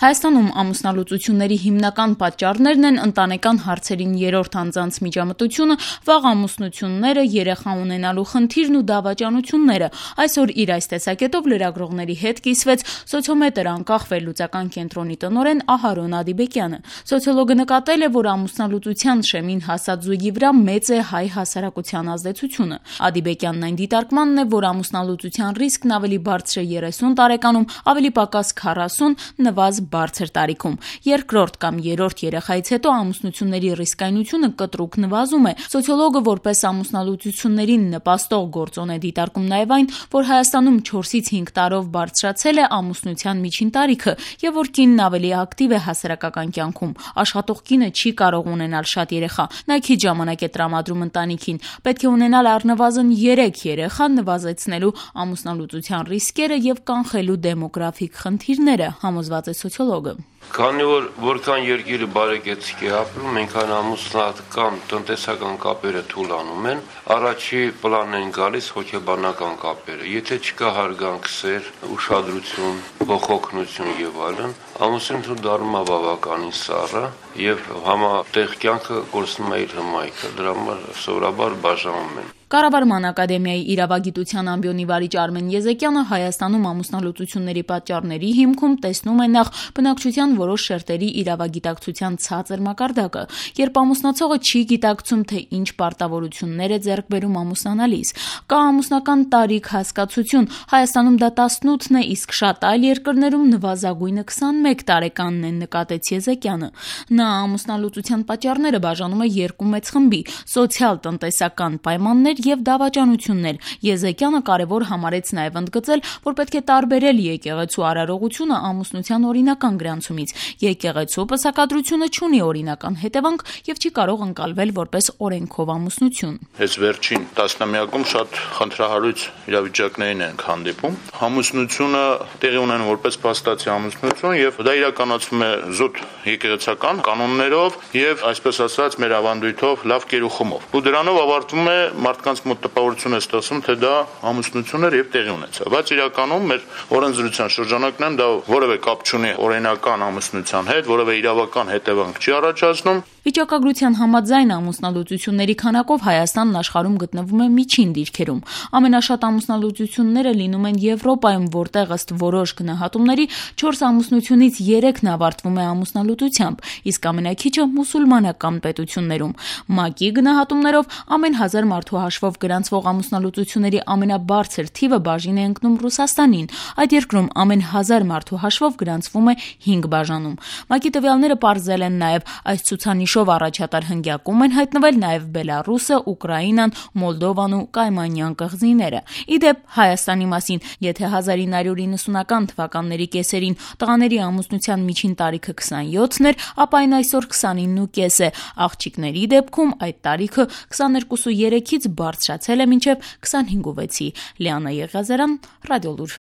Հայաստանում ամուսնալուծությունների հիմնական պատճառներն են ընտանեկան հարցերին երրորդ անձանց միջամտությունը, վաղ ամուսնությունները, երեխա ունենալու խնդիրն ու դավաճանությունները։ Այսօր իր այս տեսակետով լրագրողների հետ կիսվեց սոցիոմետր անկախ վերլուծական կենտրոնի տնօրեն Ահարոն Ադիբեկյանը։ Սոցիոլոգը նկատել է, որ ամուսնալուծության շեմին հասած զույգի վրա մեծ է հայ հասարակության ազդեցությունը։ Ադիբեկյանն այն դիտարկմանն է, որ ամուսնալուծության ռիսկն ավելի բարձր է 30 տարեկանում, ավելի պակաս 40, նվազ բարձր տարիքում։ Երկրորդ կամ երրորդ երեխայից հետո ամուսնությունների ռիսկայնությունը կտրուկ նվազում է։ Սոցիոլոգը որպես ամուսնալուծություններին նպաստող գործոն է դիտարկում նաև այն, որ Հայաստանում 4-ից 5 տարով բարձրացել է ամուսնության միջին տարիքը եւ որ կինն ավելի ակտիվ է հասարակական կյանքում։ Աշխատող կինը չի կարող ունենալ շատ երեխա։ Նա քիչ ժամանակ է տրամադրում ընտանիքին։ Պետք է ունենալ առնվազն 3 երեխա, նվազեցնելու ամուսնալուծության ռիսկերը եւ կանխելու դեմոգրաֆիկ խնդիրները, համոզված է սոցիոլոգը։ Քանի որ որքան երկիրը բարեկեցիկ է ապրում, այնքան ամուսնական տնտեսական կապերը թուլանում են, առաջի պլան են գալիս հոգեբանական կապերը։ Եթե չկա հարգանք, սեր, ուշադրություն, ողողնություն եւ այլն, ամուսնությունը դառնում է բավականին սառը եւ համատեղ կյանքը կորցնում է իր հմայքը։ Դրա համար սովորաբար բաժանում են։ Կառավարման ակադեմիայի իրավագիտության ամբիոնի վարիչ Արմեն Եզեկյանը Հայաստանում ամուսնալուծությունների պատճառների հիմքում տեսնում է նախ բնակչության որոշ շերտերի իրավագիտակցության ցածր մակարդակը, երբ ամուսնացողը չի գիտակցում, թե ինչ պարտավորություններ է ձեռք բերում ամուսնանալիս։ Կա ամուսնական տարիք հասկացություն, Հայաստանում դա 18-ն է, իսկ շատ այլ երկրներում նվազագույնը 21 տարեկանն է, նկատեց Եզեկյանը։ Նա ամուսնալուծության պատճառները բաժանում է երկու մեծ խմբի՝ սոցիալ-տնտեսական պայմաններ եւ դավաճանություններ։ Եզեկյանը կարևոր համարեց նաեւ ընդգծել, որ պետք է տարբերել եկեղեցու արարողությունը ամուսնության օրինական գրանցումից։ Եկեղեցու պսակադրությունը չունի օրինական հետևանք եւ չի կարող ընկալվել որպես օրենքով ամուսնություն։ Այս վերջին տասնամյակում շատ խնդրահարույց իրավիճակներին ենք հանդիպում։ Ամուսնությունը տեղի ունեն որպես փաստացի ամուսնություն եւ դա իրականացվում է զուտ եկեղեցական կանոններով եւ այսպես ասած մեր ավանդույթով լավ կերուխումով։ Ու դրանով ավարտվում է մարդկանց մոտ տպավորություն է ստացվում, թե դա ամուսնություն էր եւ տեղի ունեցավ։ Բայց իրականում մեր օրենսդրության շրջանակներում դա որևէ կապ չունի օրինական ամուսնության հետ, որևէ իրավական հետևանք չի առաջացնում։ Վիճակագրության համաձայն ամուսնալուծությունների քանակով Հայաստանն աշխարհում գտնվում է միջին դիրքերում։ Ամենաշատ ամուսնալուծությունները լինում են Եվրոպայում, որտեղ ըստ որոշ գնահատումների 4 ամուսնությունից 3-ն ավարտվում է ամուսնալուծությամբ, իսկ ամենաքիչը մուսուլմանական պետություններում։ ՄԱԿ-ի գնահատումներով ամեն 1000 մարդու հաշվով գրանցվող ամուսնալուծությունների ամենաբարձր թիվը բաժին է ընկնում Ռուսաստանին։ Այդ երկրում ամեն 1000 մարդու հաշվով գրանցվում է 5 բաժանում։ ՄԱԿ-ի տվյալները պարզել են նաև այս ցուցանիշով առաջատար հնգյակում են հայտնվել նաև Բելարուսը, Ուկրաինան, Մոլդովան ու Կայմանյան կղզիները։ Իդեպ Հայաստանի մասին, եթե 1990-ական թվականների կեսերին տղաների ամուսնության միջին տարիքը 27-ն էր, ապա այն այսօր 29.5 է։ Աղջիկների դեպքում այդ տարիքը 22.3-ից բարձրացել է մինչև 25.6-ի։ Լիանա Եղիազարյան, Ռադիոլուր։